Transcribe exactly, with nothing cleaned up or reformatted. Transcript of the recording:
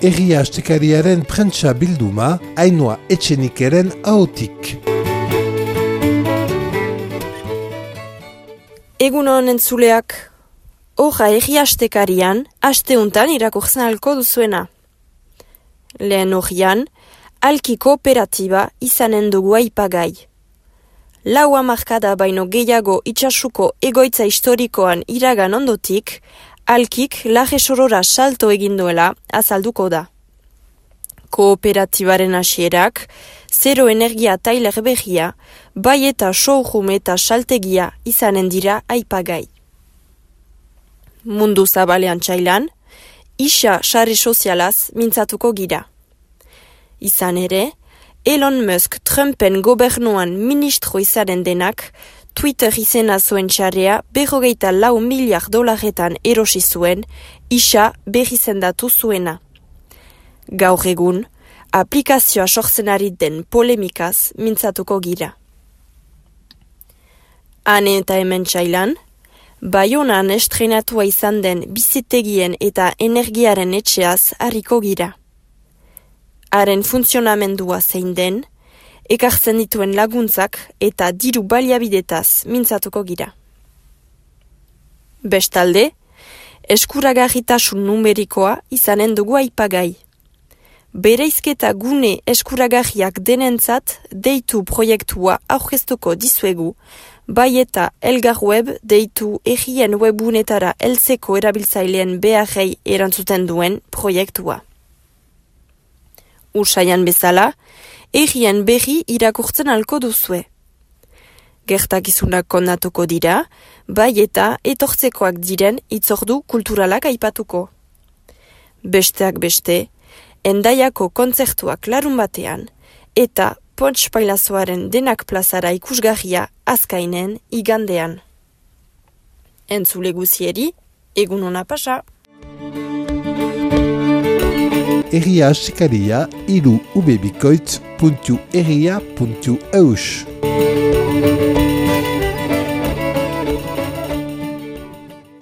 Herria Astekariaren prentsa bilduma, Ainhoa Etxenikeren ahotik. Egunon entzuleak, horra Herria Astekarian, asteuntan irakurtzen alko duzuena. Lehen horian, alki kooperatiba izanen dugu aipagai. Lau hamarkada baino gehiago itxasuko egoitza historikoan iragan ondotik, alkik laje sorora salto egin duela azalduko da. Kooperatibaren hasierak, zero energia tailer behia, bai eta showroom eta saltegia izanen dira aipagai. Mundu zabalean txailan, isa sare sozialaz mintzatuko gira. Izan ere, Elon Musk Trumpen gobernuan ministro izaren denak, Twitter izena zuen txarea berrogeita lau miliar dolaretan erosi zuen, isa berrizendatu zuena. Gaur egun, aplikazioa sortzen ari den polemikaz mintzatuko gira. Hane eta hemen txailan, Baionan estrenatua izan den bizitegien eta energiaren etxeaz harriko gira. Haren funtzionamendua zein den, ekartzen dituen laguntzak eta diru baliabidetaz mintzatuko gira. Bestalde, eskuragarritasun numerikoa izanen dugu aipagai. Bereizketa gune eskuragarriak denentzat deitu proiektua aurkeztuko dizuegu, bai eta Elgar Web deitu errien webunetara heltzeko erabiltzaileen beharrei erantzuten duen proiektua. Usaian bezala, errien berri irakurtzen alko duzue. Gertakizunak kondatuko dira, bai eta etortzekoak diren itzordu kulturalak aipatuko. Besteak beste, Endaiako kontzertuak larun batean, eta Pontx Pailazoaren denak plazara ikusgarria azkainen igandean. Entzule guzieri, egun hona pasa! Herria Astekaria, iru ubebikoitz puntu herria puntu eus.